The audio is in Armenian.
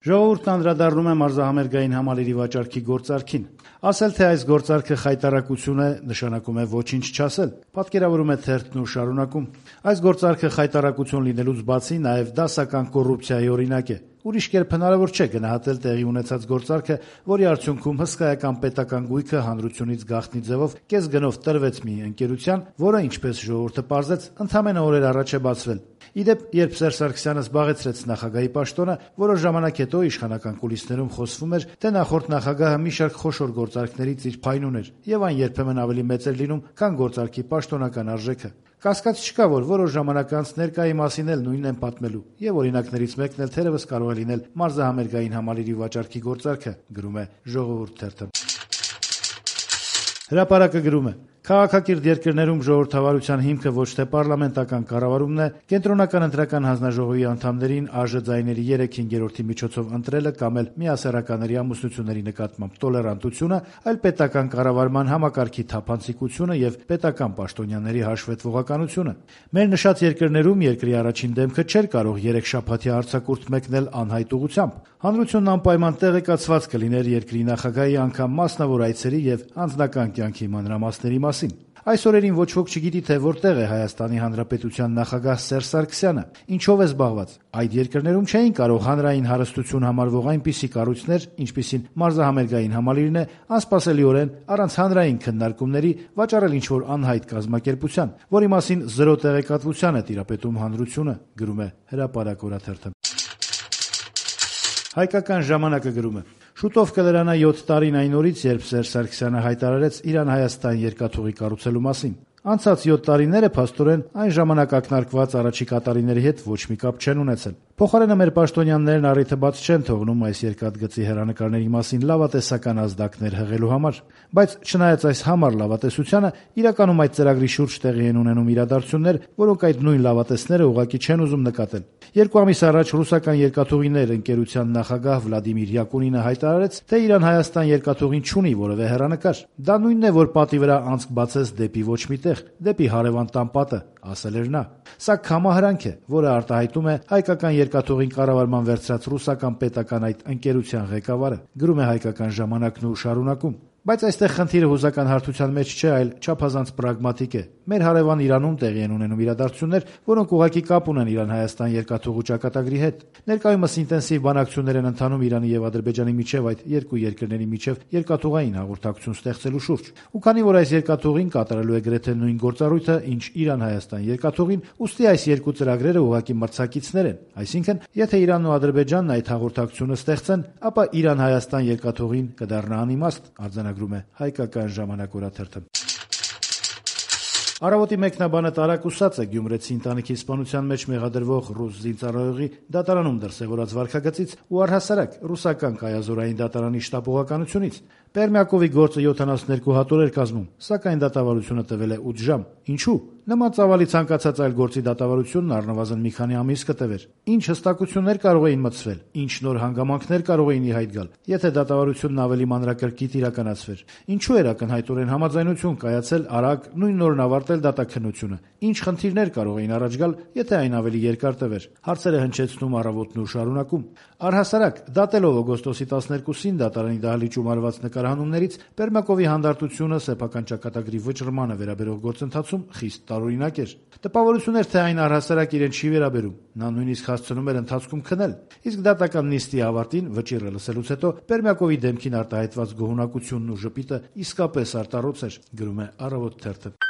Ժողովուրդն անդրադառնում է մարզահամերգային համալիրի վաճառքի գործարքին։ Ասել, թե այս գործարքը խայտառակություն է, նշանակում է ոչինչ չասել, պատկերավորում է թերթն ու շարունակում։ Այս գործարքը խայտառակություն լինելուց բացի նաև դասական կոռուպցիայի օրինակ է։ Ուրիշ կերպ հնարավոր չէ գնահատել տեղի ունեցած գործարքը, որի արդյունքում հսկայական պետական գույքը հանրությունից գաղտնի ձևով կես գնով տրվեց մի ընկերության, որը, ինչպես ժողովուրդը պարզեց, ընդամենը օրեր առաջ է բացվել։ Ի դեպ, երբ Սերժ Սարգսյանը զբաղեցրեց նախագահի պաշտոնը, որոշ ժամանակ հետո իշխանական կուլիսներում խոսվում էր, թե նախորդ նախագահը մի շարք խոշոր գործարքներից իր փայլուն ուներ, եւ այն երբեմն ավելի մեծ էր լինում, քան գործարքի պաշտոնական արժեքը։ Կասկած չկա, որ որոշ ժամանակ անց ներկայի մասին էլ նույնն են պատմելու, եւ օրինակներից մեկն էլ թերևս կարող է լինել մարզահամերգային համալիրի վաճառքի գործարքը, գրում է Ժողովուրդ թերթը։ Հրապարակը գրում է. Քաղաքակիրթ երկրներում ժողովրդավարության հիմքը ոչ թե պարլամենտական կառավարումն է, կենտրոնական ընտրական հանձնաժողովի անդամներին ԱԺ ձայների 3/5-ի միջոցով ընտրելը կամ էլ միասեռականների ամուսնությունների նկատմամբ տոլերանտությունը, այլ պետական կառավարման համակարգի թափանցիկությունը եւ պետական պաշտոնյաների հաշվետվողականությունը։ Մեր նշած երկրներում երկրի առաջին դեմքը չէր կարող 3 շաբաթյա արձակուրդ մեկնել անհայտ ուղղությամբ։ Հանրությունն անպայման տեղեկացված կլիներ երկրի նախագահի անգամ մասնավոր այցերի եւ անձնական կյանքի մանրամասների մասին։ Այս օրերին ոչ ոք չգիտի, թե որտեղ է Հայաստանի Հանրապետության նախագահ Սերժ Սարգսյանը, ինչով է զբաղված։ Այդ երկրներում չէին կարող հանրային հարստություն համարվող այնպիսի կառույցներ, ինչպիսին մարզահամերգային համալիրն է, անսպասելիորեն առանց հանրային քննարկումների վաճառել ինչ-որ անհայտ կազմակերպության, որի մասին զրո տեղեկատվության է տիրապետում հանրությունը, գրում է Հրապարակ օրաթերթը։ Հայկական ժամանակը գրում է. Շուտով կլրանա 7 տարին այն օրից, երբ Սերժ Սարգսյանը հայտարարեց Իրան-Հայաստան երկաթուղի կառուցելու մասին։ Անցած 7 տարիները փաստորեն այն ժամանակ ակնարկված առաջիկա տարիների հետ ոչ մի կապ չեն ունեցել։ Փոխարենը մեր պաշտոնյաներն առիթը բաց չեն թողնում այս երկաթգծի հեռանկարների մասին լավատեսական ազդակներ հղելու համար։ Բայց չնայած այս համառ լավատեսությանը, իրականում այդ ծրագրի շուրջ տեղի են ունենում իրադարձություններ, որոնք այդ նույն լավատեսները ուղղակի չեն ուզում նկատել։ 2 ամիս առաջ ռուսական երկաթուղիներ ընկերության նախագահ Վլադիմիր Յակունինը հայտարարեց, թե Իրան-Հայաստան երկաթուղին չունի որևէ հեռանկար։ Դա նույնն է, որ պատի վրա անցք բացես դեպի ոչ մի տեղ, դեպի հարևան տան պատը, ասել էր նա։ Սա կամահրանք է, որը արտահայտում է հայկական երկաթուղին կառավարման վերցրած ռուսական պետական այդ ընկերության ղեկավարը, գրում է Հայկական ժամանակն ու շարունակում։ Բայց այստեղ խնդիրը հուզական հարթության մեջ չէ, այլ չափազանց պրագմատիկ է։ Մեր հարևան Իրանում տեղի են ունենում իրադարձություններ, որոնք ուղղակի կապ ունեն Իրան-Հայաստան երկաթուղու ճակատագրի հետ։ Ներկայումս ինտենսիվ բանակցություններ են ընթանում Իրանի եւ Ադրբեջանի միջև այդ երկու երկրների միջև երկաթուղային հաղորդակցություն ստեղծելու շուրջ։ Ու քանի որ այս երկաթուղին կատարելու է գրեթե նույն գործառույթը, ինչ Իրան-Հայաստան երկաթուղին, ուստի այս երկու ծրագրերը ուղղակի մրցակիցներ են։ Այսինքն, եթե Իրանն ու Ադրբեջանն այդ հաղորդակցությունը ստեղծեն, ապա Իրան-Հայաստան երկաթուղին կդառնա անիմաստ, արձանագրում է Հայկական ժամանակ օրաթերթը։ Առավոտի մեկնաբանը տարակուսած է գյումրեցի ընտանիքի սպանության մեջ մեղադրվող ռուս զինծառայողի դատարանում դրսևորած վարքագծից ու առհասարակ ռուսական կայազորային դատարանի շտապողականությունից։ Պերմյակովի գործը 72 հատոր էր կազմում, սակայն դատավարությունը տվել է 8 ժամ։ Ինչու՞։ Նման ծավալի ցանկացած այլ գործի դատավարությունն առնվազն մի քանի ամիս կտևեր։ Ինչ հստակություններ կարող էին մտցվել, ինչ նոր հանգամանքներ կարող էին ի հայտ գալ, եթե դատավարությունն ավելի մանրակրկիտ իրականացվեր։ Ինչու էր ակնհայտորեն համաձայնություն կայացել արագ նույն նորն ավարտել դատաքննությունը։ Ինչ խնդիրներ կարող էին առաջ գալ, եթե այն ավելի երկար տևեր։ Հարցերը հնչեցնում առավոտն ու շարունակում։ Առհասարակ, դատելով օգոստոսի 12-ին դատարանի դահլիճում արված նկարահանումներից, Պերմյակովի հանդարտությունը սեփական ճակատագրի վճռմանը վերաբերող գործընթացում խիստ տարօրինակ էր։ Տպավորություն էր, թե այն առհասարակ իրեն չի վերաբերում։ Նա նույնիսկ հասցնում էր ընթացքում քնել։ Իսկ դատական նիստի ավարտին վճիռը լսելուց հետո Պերմյակովի դեմքին արտահայտված գոհունակությունն ու ժպիտը իսկապես արտառոց էր, գրում է Առավոտ թերթը։